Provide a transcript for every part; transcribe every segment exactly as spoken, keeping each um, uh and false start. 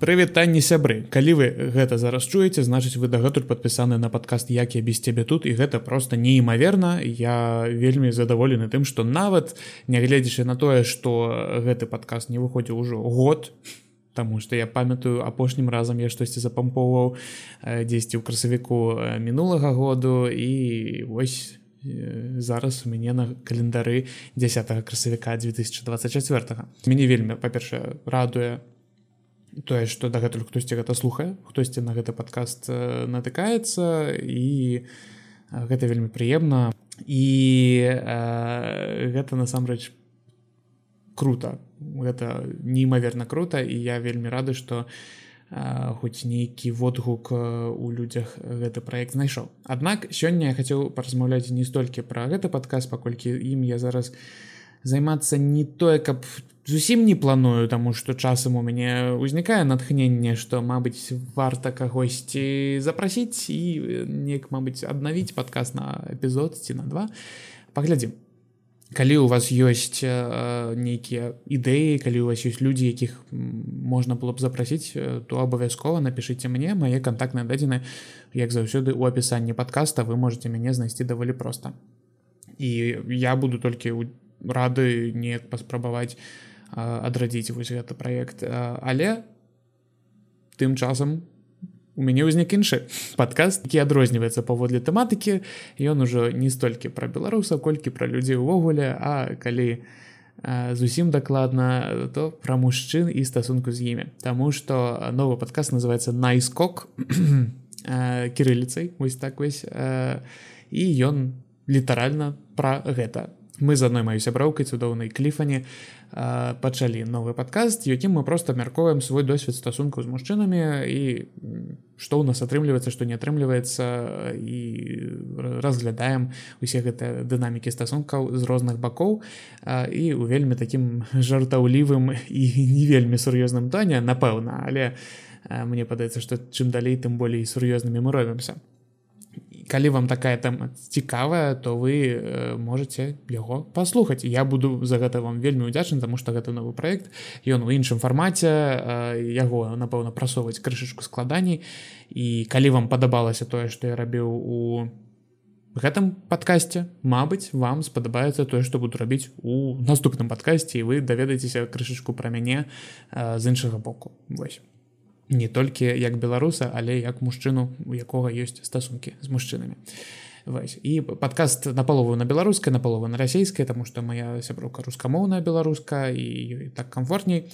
Прывітанне сябры. Калі вы гэта зараз чуеце, значыць вы дагэтуль падпісаны на падкаст «Як я без цябе тут», і гэта проста неімаверна. Я вельмі задаволены тым, што нават, нягледзячы на тое, што гэты падкаст не выходзіў ужо год, таму што я памятаю, апошнім разам я штосьці запампоўваў дзесьці ў красавіку мінулага году, і вось зараз у мяне на календары дзясятага красавіка две тысячи двадцать четвёртага. Мяне вельмі, па-першае, радуе тое, што дагэтуль хтосьці гэта слухае, хтосьці на гэты падкаст натыкаецца, і гэта вельмі прыемна, і э, гэта насамрэч круто, гэта неімаверна круто, і я вельмі рады, што э, хоць нейкі водгук у людзях гэты праект знайшоў. Аднак сёння я хацеў паразмаўляць не столькі пра гэты падкаст, паколькі ім я зараз займацца не тое, каб зусім не планую, таму што часам у мяне ўзнікае натхненне, што, мабыць, варта кагосьці запрасіць і неяк, мабыць, аднавіць падкаст на эпізод ці на два. Паглядзім. Калі у вас ёсць э, нейкія ідэі, калі у вас ёсць людзі, якіх можна было б запрасіць, то абавязкова напішыце мне. Мае кантактныя дадзены, як заўсёды, у апісанні падкаста. Вы можете мяне знайсці даволі проста. І я буду толькі рады неяк паспрабаваць адрадзіць вось гэты праект, але тым часам у мяне ўзнік іншы падкаст, які адрозніваецца паводле тэматыкі. Ён ужо не столькі пра беларусаў, колькі пра людзей увогуле, а калі зусім дакладна, то пра мужчын і стасунку з імі. Таму што новы падкаст называецца «Найскок» кірыліцай, вось так вось, і ён літаральна пра гэта. Мы з адной маёй сяброўкай, цудоўнай Кліфані, пачалі новы падкаст, якім мы проста абмяркоўваем свой досвед стасункаў з мужчынамі і што ў нас атрымліваецца, што не атрымліваецца, і разглядаем усе гэтыя дынамікі стасункаў з розных бакоў, і ў вельмі такім жартаўлівым і не вельмі сур'ёзным тоне, напэўна, але мне падаецца, што чым далей, тым болей сур'ёзнымі мы робімся. Калі вам такая тэма цікавая, то вы э, можете яго паслухаць. Я буду за гэта вам вельмі ўдзячны, таму што гэта новы праект, ён у іншым фармаце, э, яго, напэўна, прасоўваць крышачку складаней. І калі вам падабалася тое, што я рабіў у гэтым падкасце, мабыць, вам спадабаецца тое, што буду рабіць у наступным падкасці, і вы даведаецеся крышачку пра мяне э, з іншага боку. Вось. Не толькі як беларуса, але як мужчыну, у якога ёсць стасункі з мужчынамі. Вось. І падкаст напалову на беларускай, напалову на расейскай, таму што моя сяброўка рускамоўная беларуска, і ёй так камфортней.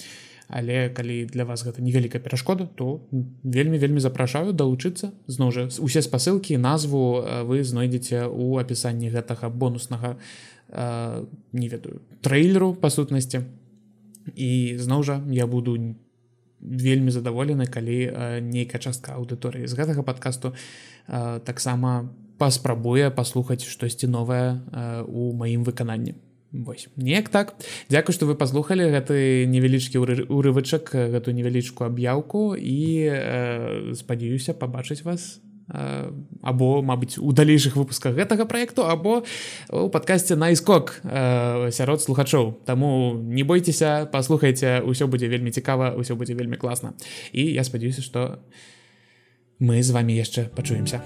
Але калі для вас гэта невялікая перашкода, то вельмі-вельмі запрашаю далучыцца. Зноў жа, усе спасылкі, назву вы знойдзеце ў апісанні гэтага бонуснага, э, не ведаю, трэйлеру, па сутнасці. І зноў жа, я буду вельмі задаволены, калі э, нейкая частка аўдыторыі з гэтага падкасту э, таксама паспрабуе паслухаць штосьці новае э, у маім выкананні. Вось. Неяк так. Дзякуй, што вы паслухалі гэты невялічкі урывачак, гэту невялічку аб'яўку, і э, спадзяюся пабачыць вас або, мабыць, у далейшых выпусках гэтага праекту, або у падкасце «Найскок» э, сярод слухачоў. Таму не бойцеся, паслухайце, усё будзе вельмі цікава, усё будзе вельмі класна. І я спадзяюся, што мы з вамі яшчэ пачуемся.